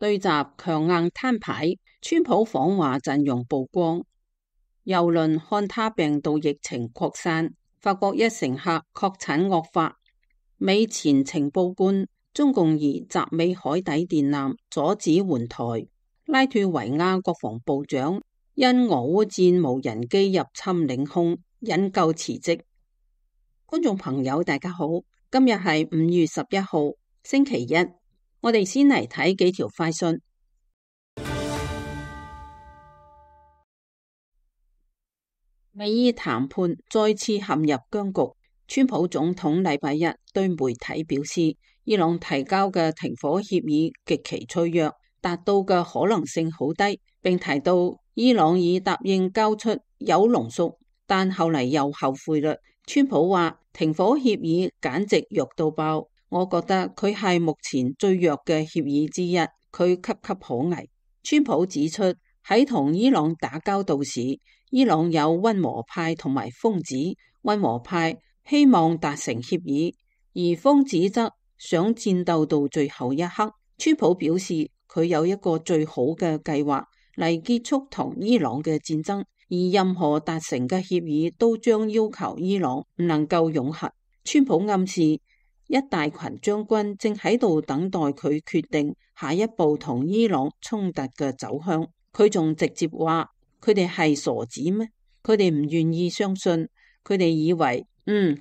對習強硬攤牌，川普訪華陣容曝光。郵輪漢他病毒疫情擴散，法國一乘客確診惡化。美前情報官中共疑襲美海底電纜，阻止援台。拉脫維亞國防部長因俄烏戰無人機入侵領空，引咎辭職。觀眾朋友大家好，今日係5月11號星期一，我哋先嚟睇幾條快訊。美伊談判再次陷入僵局。川普總統禮拜一對媒體表示，伊朗提交嘅停火協議極其脆弱，達到嘅可能性好低，並提到伊朗已答應交出鈾濃縮，但後嚟又後悔啦。川普話停火協議簡直弱到爆，我覺得佢係目前最弱嘅協議之一，佢岌岌可危。川普指出，喺同伊朗打交道時，伊朗有溫和派同埋瘋子，溫和派希望達成協議，而瘋子則想戰鬥到最後一刻。川普表示佢有一個最好嘅計劃嚟結束同伊朗嘅戰爭，而任何達成嘅協議都將要求伊朗唔能夠擁核。川普暗示一大群將軍正喺度等待佢決定下一步同伊朗衝突嘅走向。佢仲直接話佢哋係傻子咩？佢哋唔願意相信，佢哋以為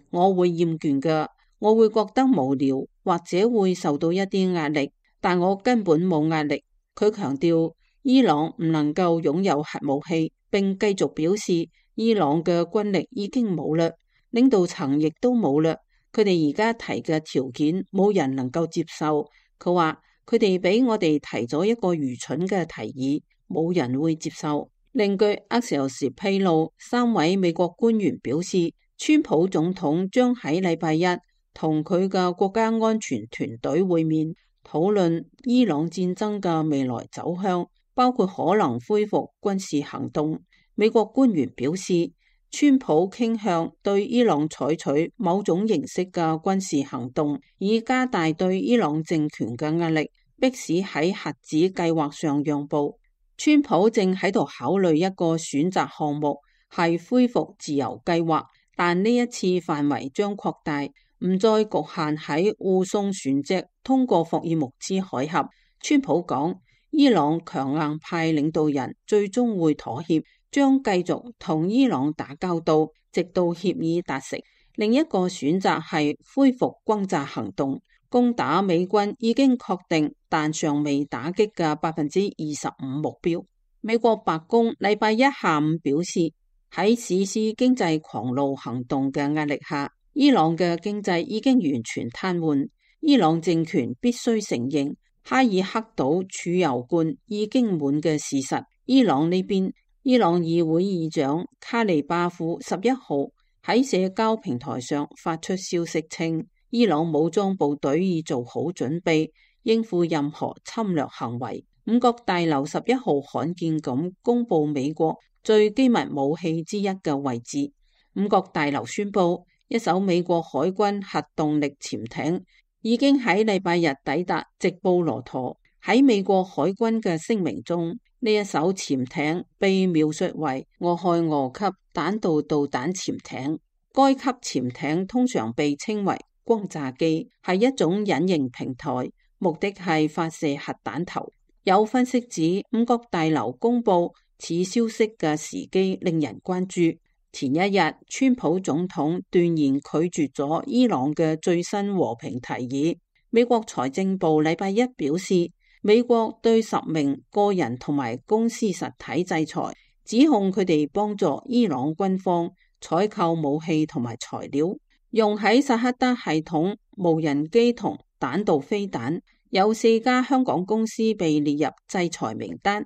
我會厭倦㗎，我會覺得無聊，或者會受到一啲壓力，但我根本冇壓力。佢強調伊朗唔能夠擁有核武器，並繼續表示伊朗嘅軍力已經冇啦，領導層亦都冇啦，佢哋而家提嘅條件冇人能夠接受。佢話佢哋俾我哋提咗一個愚蠢嘅提議，冇人會接受。另據阿克時披露，3位美國官員表示，川普總統將喺禮拜一同佢嘅國家安全團隊會面，討論伊朗戰爭嘅未來走向，包括可能恢復軍事行動。美國官員表示，川普傾向對伊朗採取某種形式嘅軍事行動，以加大對伊朗政權嘅壓力，迫使喺核子計劃上讓步。川普正喺度考慮一個選擇項目，係恢復自由計劃，但呢一次範圍將擴大，唔再局限喺護送船隻通過霍爾木茲海峽。川普講，伊朗強硬派領導人最終會妥協，將繼續同伊朗打交道，直到協議達成。另一個選擇係恢復轟炸行動，攻打美軍已經確定但尚未打擊嘅25%目標。美國白宮禮拜一下午表示，喺實施經濟狂怒行動嘅壓力下，伊朗嘅經濟已經完全癱瘓。伊朗政權必須承認哈爾克島儲油罐已經滿嘅事實。伊朗呢邊，伊朗議會議長卡利巴夫11號喺社交平台上發出消息稱，伊朗武裝部隊已做好準備應付任何侵略行為。五角大樓11號罕見咁公布美國最機密武器之一嘅位置。五角大樓宣布，一艘美國海軍核動力潛艇已經喺禮拜日抵達直布羅陀。喺美國海軍嘅聲明中，呢一艘潛艇被描述為俄亥俄級彈道導彈潛艇。該級潛艇通常被稱為轟炸機，係一種隱形平台，目的係發射核彈頭。有分析指，五角大樓公布此消息嘅時機令人關注。前一日，川普總統斷然拒絕咗伊朗嘅最新和平提議。美國財政部禮拜一表示，美國對10名個人同埋公司實體制裁，指控佢哋幫助伊朗軍方採購武器同埋材料，用喺薩克德系統、無人機同彈道飛彈。有4家香港公司被列入制裁名單。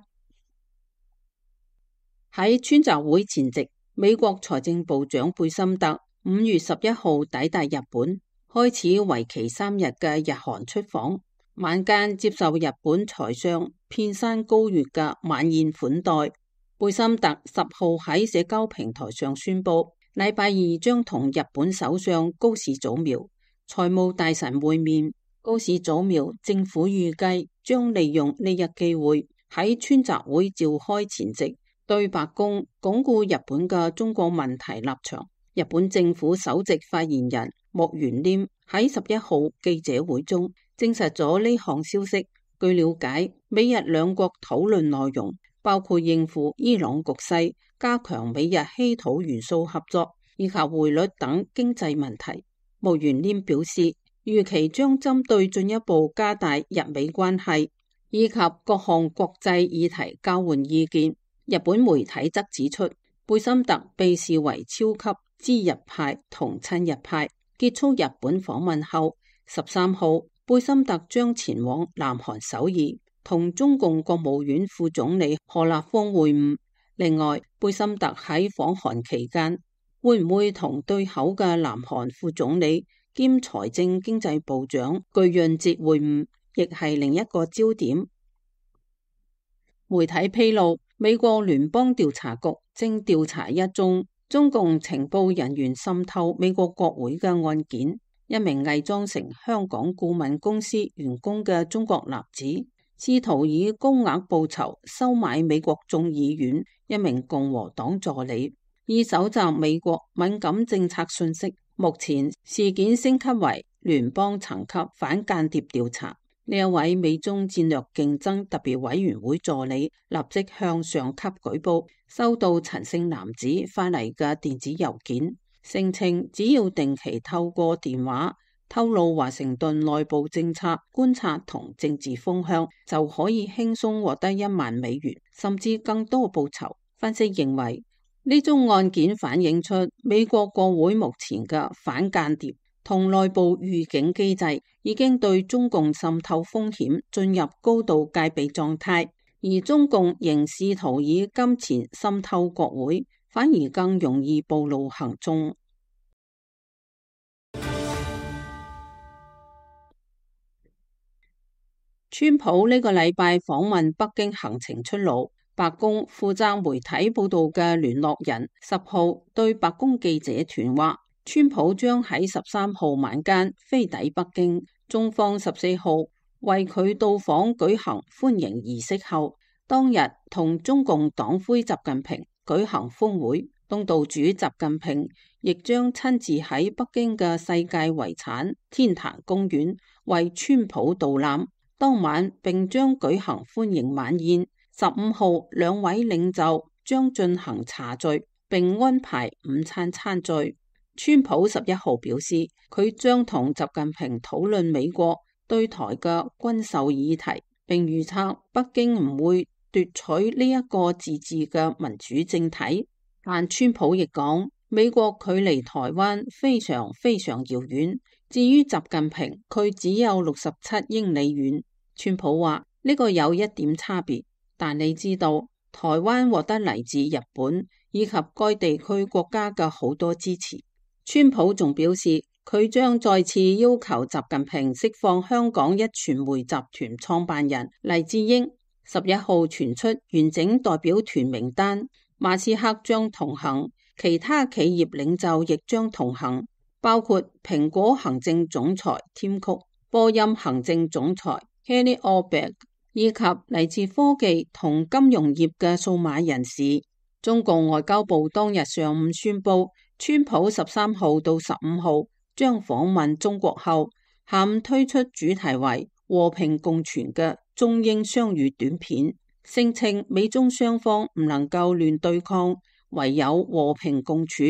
喺川習會前夕，美國財政部長貝森特5月11號抵達日本，開始為期3日嘅日韓出訪。晚間接受日本財相片山高月嘅晚宴款待。貝森特10號喺社交平台上宣布，禮拜二將同日本首相高市早苗、財務大臣會面。高市早苗政府預計將利用呢一機會，喺川習會召開前夕對白宮鞏固日本嘅中國問題立場。日本政府首席發言人木原稔喺11號記者會中證實咗呢項消息。據了解，美日兩國討論內容包括應付伊朗局勢、加強美日稀土元素合作以及匯率等經濟問題。木原稔表示，預期將針對進一步加大日美關係以及各項國際議題交換意見。日本媒體則指出，貝森特被視為超級知日派同親日派。結束日本訪問後，13號貝森特將前往南韓首爾，同中共國務院副總理何立峰會晤。另外，貝森特喺訪韓期間會唔會同對口嘅南韓副總理兼財政經濟部長具潤哲會晤，亦係另一個焦點。媒體披露，美國聯邦調查局正調查一宗中共情報人員滲透美國國會嘅案件。一名偽裝成香港顧問公司員工嘅中國男子，試圖以高額報酬收買美國眾議院一名共和黨助理，以搜集美國敏感政策信息。目前事件升級為聯邦層級反間諜調查。呢一位美中戰略競爭特別委員會助理立即向上級舉報，收到陳姓男子發嚟嘅電子郵件，聲稱只要定期透過電話透露華盛頓內部政策觀察同政治風向，就可以輕鬆獲得1萬美元，甚至更多報酬。分析認為，呢宗案件反映出美國國會目前嘅反間諜同內部預警機制已經對中共滲透風險進入高度戒備狀態，而中共仍試圖以金錢滲透國會，反而更容易暴露行蹤。川普呢個禮拜訪問北京行程出爐，白宮負責媒體報道嘅聯絡人10號對白宮記者團話，川普將喺13號晚間飛抵北京，中方14號為佢到訪舉行歡迎儀式後，當日同中共黨魁習近平舉行峰會，東道主習近平亦將親自喺北京嘅世界遺產天壇公園為川普導覽。當晚並將舉行歡迎晚宴，15號兩位領袖將進行茶敘，並安排午餐餐聚。川普11號表示，佢將同習近平討論美國對台嘅軍售議題，並預測北京唔會奪取呢一個自治嘅民主政體。但川普亦講，美國距離台灣非常非常遙遠。至於習近平，佢只有67英里遠。川普話呢個有一點差別，但你知道台灣獲得嚟自日本以及該地區國家嘅好多支持。川普仲表示，佢將再次要求習近平釋放香港一傳媒集團創辦人黎智英。11號傳出完整代表團名單，馬斯克將同行，其他企業領袖亦將同行，包括蘋果行政總裁添曲、波音行政總裁 Kelly Oberg 以及嚟自科技同金融業嘅數碼人士。中共外交部當日上午宣布，川普13號到15號將訪問中國後，下午推出主題為和平共存嘅中英雙語短片，聲稱美中雙方唔能夠亂對抗，唯有和平共處，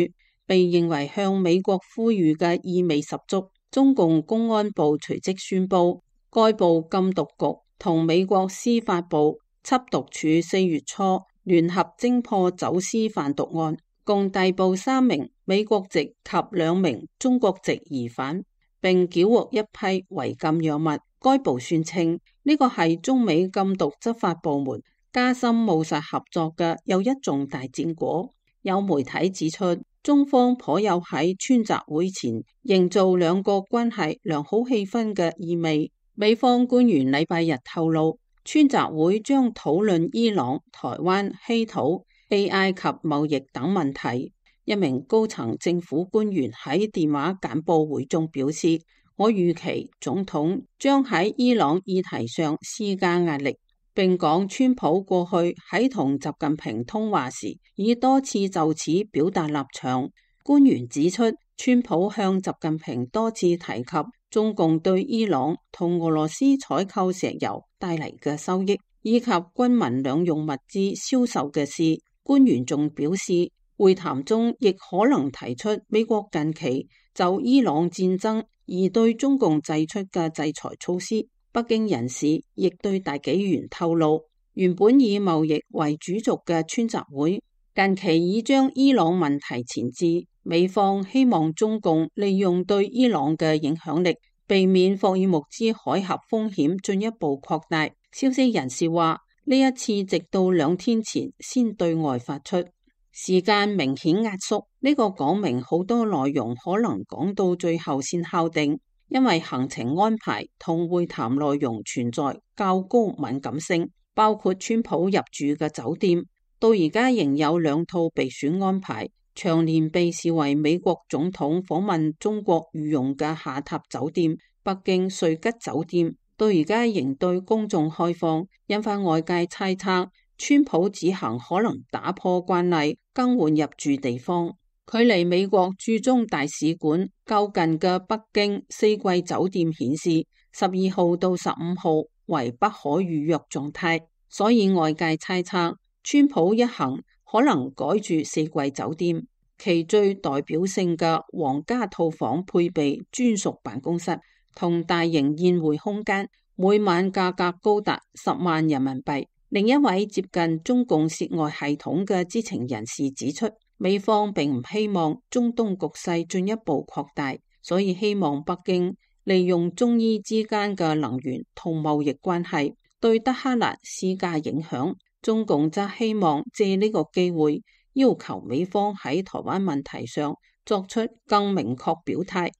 被認為向美國呼籲嘅意味十足。中共公安部隨即宣布，該部禁毒局同美國司法部緝毒處4月初聯合偵破走私販毒案，共逮捕3名美國籍及2名中國籍疑犯，並繳獲一批違禁藥物。該部宣稱呢個係中美禁毒執法部門加深務實合作嘅又一重大戰果。有媒體指出，中方頗有喺川習會前營造兩國關係良好氣氛嘅意味。美方官員禮拜日透露，川習會將討論伊朗、台灣、稀土、AI 及貿易等問題。一名高層政府官員喺電話簡報會中表示，我預期總統將喺伊朗議題上施加壓力，並講川普過去喺同習近平通話時已多次就此表達立場。官員指出，川普向習近平多次提及中共對伊朗同俄羅斯採購石油帶嚟嘅收益，以及軍民兩用物資銷售嘅事。官員仲表示，會談中亦可能提出美國近期就伊朗戰爭而對中共祭出嘅制裁措施。北京人士亦對大紀元透露，原本以貿易為主軸嘅川習會近期已將伊朗問題前置。美方希望中共利用對伊朗嘅影響力，避免霍爾木茲海峽風險進一步擴大。消息人士話，呢一次直到2天前先對外發出，時間明顯壓縮。呢個講明好多內容可能講到最後先敲定，因為行程安排同會談內容存在較高敏感性，包括川普入住嘅酒店，到而家仍有2套備選安排。長年被視為美國總統訪問中國御用嘅下榻酒店北京瑞吉酒店，到而家仍對公眾開放，引發外界猜測川普此行可能打破慣例，更換入住地方。距離美國駐中大使館較近嘅北京四季酒店顯示12號到15號為不可預約狀態，所以外界猜測川普一行可能改住四季酒店，其最代表性嘅皇家套房配備專屬辦公室同大型宴會空間，每晚價格高達10萬人民幣。另一位接近中共涉外系統嘅知情人士指出，美方並唔希望中東局勢進一步擴大，所以希望北京利用中伊之間嘅能源同貿易關係對德黑蘭施加影響。中共則希望借呢個機會要求美方喺台灣問題上作出更明確表態。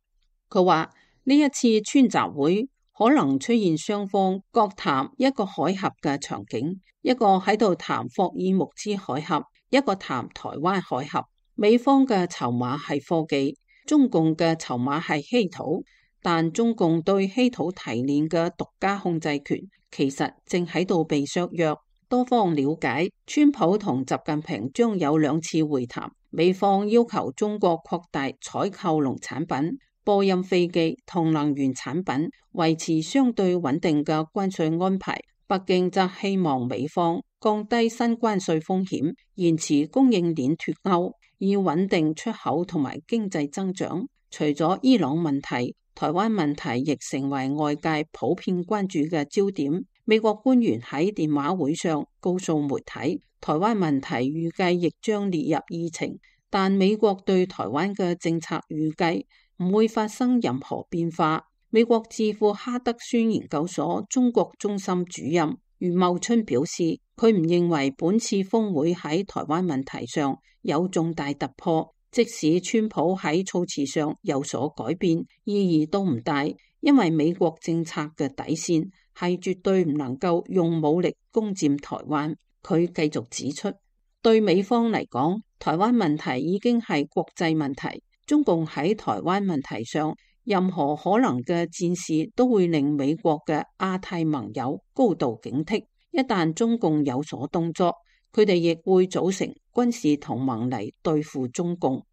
佢話呢一次川習會可能出現雙方各談一個海峽嘅場景，一個喺度談霍爾木茲海峽，一個談台灣海峽。美方嘅籌碼係科技，中共嘅籌碼係稀土，但中共對稀土提煉嘅獨家控制權其實正喺度被削弱。多方了解，川普同習近平將有2次會談，美方要求中國擴大採購農產品、波音飛機同能源產品，維持相對穩定嘅關稅安排。北京則希望美方降低新關稅風險，延遲供應鏈脫鈎，以穩定出口同埋經濟增長。除咗伊朗問題，台灣問題亦成為外界普遍關注嘅焦點。美國官員喺電話會上告訴媒體，台灣問題預計亦將列入議程，但美國對台灣嘅政策預計唔會發生任何變化。美國智庫哈德遜研究所中國中心主任余茂春表示，佢唔認為本次峰會喺台灣問題上有重大突破，即使川普喺措辭上有所改變，意義都唔大，因為美國政策嘅底線係絕對唔能夠用武力攻佔台灣。佢繼續指出，對美方嚟講，台灣問題已經係國際問題，中共喺台灣問題上任何可能嘅戰事都會令美國嘅亞太盟友高度警惕。一旦中共有所動作，佢哋亦會組成軍事同盟嚟對付中共。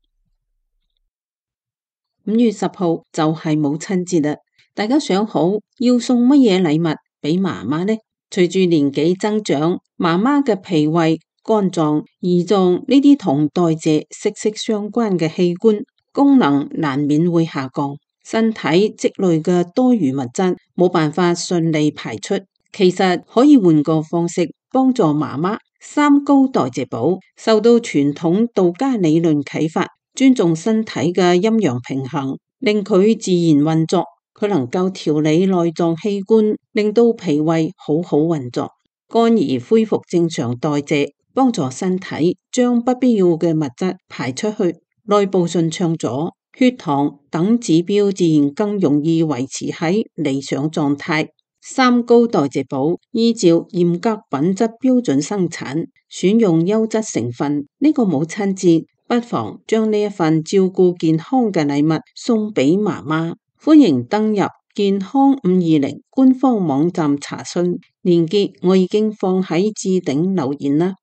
5月10號就係母親節啦。大家想好要送乜嘢禮物俾媽媽呢？隨住年紀增長，媽媽嘅脾胃、肝臟、胰臟呢啲同代謝息息相關嘅器官功能難免會下降，身體積累嘅多餘物質冇辦法順利排出。其實可以換個方式幫助媽媽。三高代謝寶受到傳統道家理論啟發，尊重身體嘅陰陽平衡，令佢自然運作。佢能夠調理內臟器官，令到脾胃好好運作，肝兒恢復正常代謝，幫助身體將不必要嘅物質排出去，內部順暢咗，血糖等指標自然更容易維持喺理想狀態。三高代謝寶依照嚴格品質標準生產，選用優質成分。呢個母親節不妨將呢一份照顧健康嘅禮物送俾媽媽。歡迎登入健康520官方網站查詢，連結我已經放喺置頂留言啦。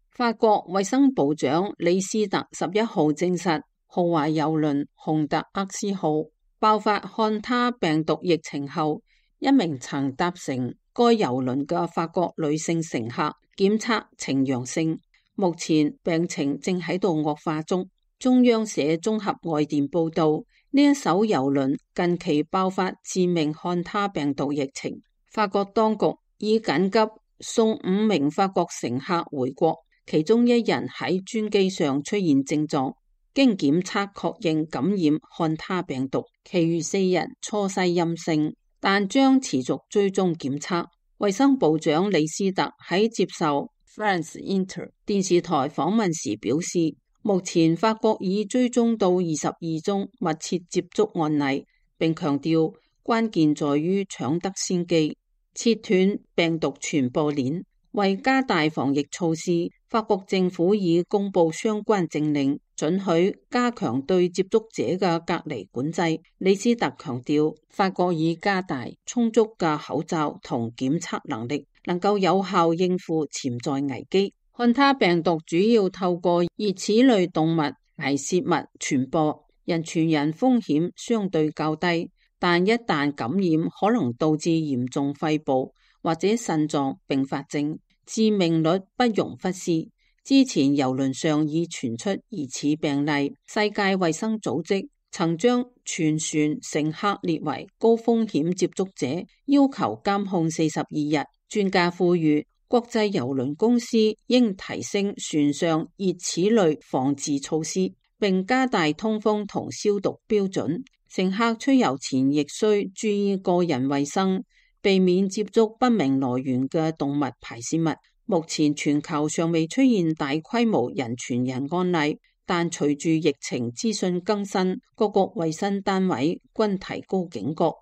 法國衛生部長李斯特11號證實，豪華郵輪洪特厄斯號爆發漢他病毒疫情後，一名曾搭乘該郵輪嘅法國女性乘客檢測呈陽性，目前病情正喺度惡化中。中央社綜合外電報道，呢一艘郵輪近期爆發致命漢他病毒疫情，法國當局已緊急送5名法國乘客回國，其中1人喺專機上出現症狀，經檢測確認感染漢他病毒，其餘4人初篩陰性，但將持續追蹤檢測。衛生部長李斯特喺接受 France Inter 電視台訪問時表示，目前法國已追蹤到22宗密切接觸案例，並強調關鍵在於搶得先機，切斷病毒傳播鏈。為加大防疫措施，法國政府已公布相關政令，准許加強對接觸者嘅隔離管制。李斯特強調，法國已加大充足嘅口罩同檢測能力，能夠有效應付潛在危機。漢他病毒主要透過熱齒類動物排泄物傳播，人傳人風險相對較低，但一旦感染可能導致嚴重肺部或者腎臟併發症，致命率不容忽視。之前郵輪上已傳出疑似病例，世界衛生組織曾將全船乘客列為高風險接觸者，要求監控42日。專家呼籲國際郵輪公司應提升船上熱齒類防治措施，並加大通風同消毒標準。乘客出遊前亦需注意個人衛生，避免接觸不明來源嘅動物排泄物。目前全球尚未出現大規模人傳人案例，但隨住疫情資訊更新，各國衛生單位均提高警覺。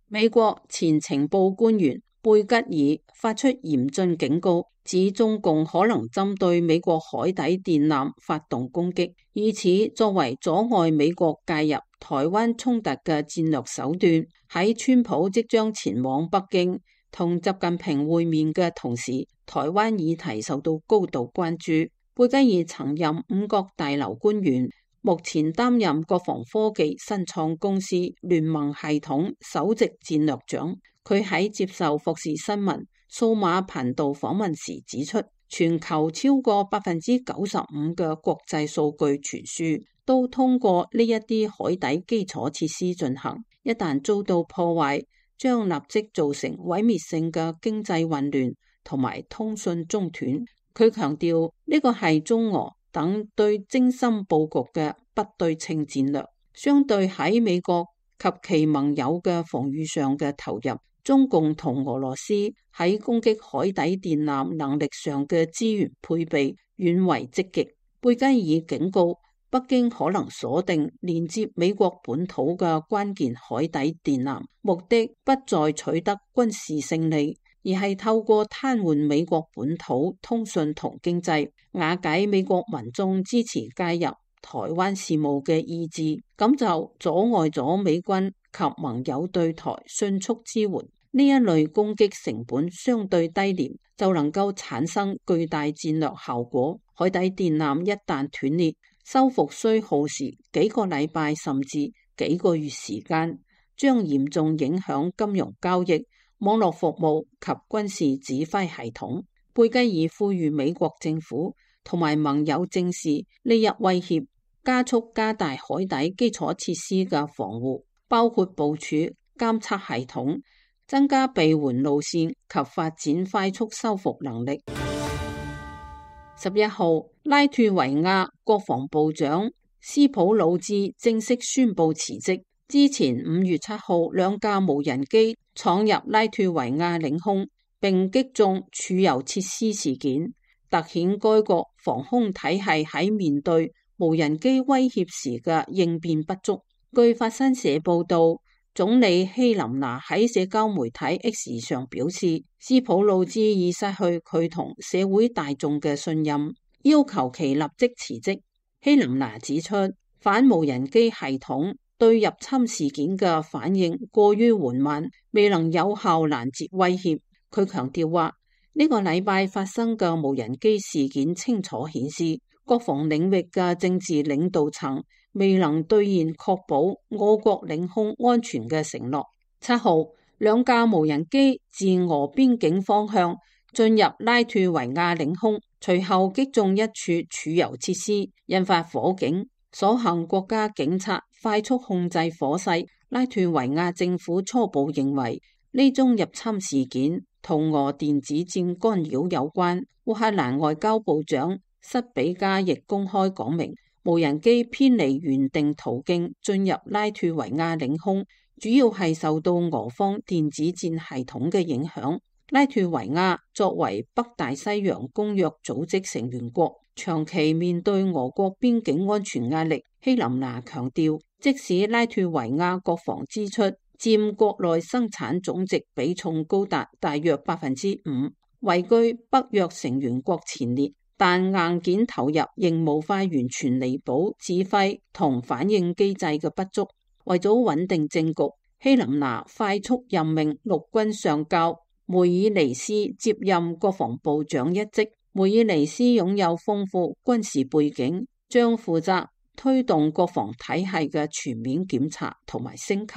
美國前情報官員貝吉爾發出嚴峻警告，指中共可能針對美國海底電纜發動攻擊，以此作為阻礙美國介入台灣衝突嘅戰略手段。喺川普即將前往北京同習近平會面嘅同時，台灣議題受到高度關注。貝吉爾曾任5角大樓官員，目前擔任國防科技新創公司聯盟系統首席戰略長。佢喺接受霍士新聞數碼頻道訪問時指出，全球超過95%嘅國際數據傳輸都通過呢一啲海底基礎設施進行，一旦遭到破壞，將立即造成毀滅性嘅經濟混亂同埋通訊中斷。佢強調呢個係中俄等對精心佈局嘅不對稱戰略，相對喺美國及其盟友嘅防禦上嘅投入，中共同俄羅斯喺攻擊海底電纜能力上嘅資源配備遠為積極。貝吉爾警告，北京可能鎖定連接美國本土嘅關鍵海底電纜，目的不在取得軍事勝利，而係透過癱瘓美國本土通訊同經濟，瓦解美國民眾支持介入台灣事務嘅意志，咁就阻礙咗美軍及盟友對台迅速支援。呢一類攻擊成本相對低廉，就能夠產生巨大戰略效果。海底電纜一旦斷裂，修復需耗時幾個禮拜甚至幾個月時間，將嚴重影響金融交易、網絡服務及軍事指揮系統。貝吉爾呼籲美國政府同埋盟友正視呢一威脅，加速加大海底基礎設施嘅防護，包括部署監測系統，增加避援路線及發展快速修復能力。11號，拉脫維亞國防部長斯普魯茲正式宣布辭職。之前5月7號，2架無人機闖入拉脫維亞領空並擊中儲油設施事件，凸顯該國防空體系喺面對無人機威脅時嘅應變不足。據法新社報道，總理希林娜喺社交媒體 X 上表示，斯普魯茲已失去佢同社會大眾嘅信任，要求其立即辭職。希林拿指出，反無人機系統對入侵事件嘅反應過於緩慢，未能有效攔截威脅。佢強調話，呢個禮拜發生嘅無人機事件清楚顯示，國防領域嘅政治領導層未能兌現確保我國領空安全嘅承諾。7號，兩架無人機自俄邊境方向進入拉脫維亞領空，隨後擊中一處儲油設施，引發火警。所幸國家警察快速控制火勢。拉脫維亞政府初步認為呢宗入侵事件同俄電子戰干擾有關。烏克蘭外交部長塞比加亦公開講明，無人機偏離原定途徑進入拉脫維亞領空，主要係受到俄方電子戰系統嘅影響。拉脫維亞作為北大西洋公約組織成員國，長期面對俄國邊境安全壓力。希林拿強調，即使拉脫維亞國防支出佔國內生產總值比重高達大約5%，位居北約成員國前列，但硬件投入仍無法完全彌補指揮同反應機制嘅不足。為咗穩定政局，希林拿快速任命陸軍上校梅爾尼斯接任國防部長一職。梅爾尼斯擁有豐富軍事背景，將負責推動國防體系嘅全面檢查同埋升級。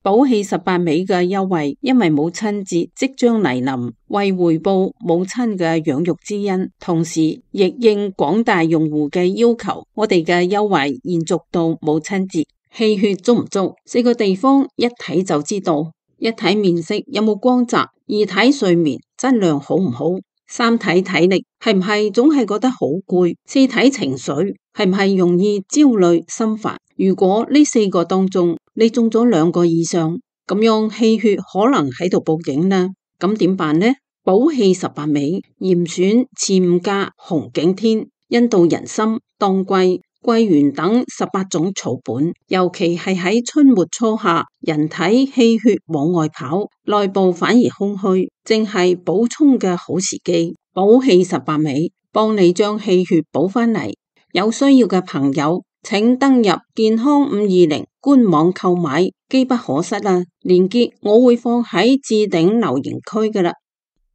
寶氣18美嘅優惠，因為母親節即將嚟臨，為回報母親嘅養育之恩，同時亦應廣大用戶嘅要求，我哋嘅優惠延續到母親節。氣血足唔足？4個地方一睇就知道。一睇面色有冇光澤，二睇睡眠質量好唔好，三睇體力係唔係總係覺得好攰，四睇情緒係唔係容易焦慮心煩。如果呢4個當中你中咗2個以上，咁樣氣血可能喺度報警啦。咁點辦呢？寶氣18美嚴選次午加紅景天、印度人參、當歸、桂圓等18種草本，尤其係喺春末初夏，人體氣血往外跑，內部反而空虛，正係補充嘅好時機。寶氣18美幫你將氣血補返嚟。有需要嘅朋友請登入健康520官網購買，機不可失啊！鏈接我會放喺置頂留言區㗎喇。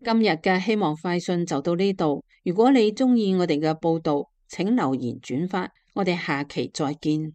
今日嘅希望快訊就到呢度，如果你鍾意我哋嘅報道，請留言轉發。我哋下期再見。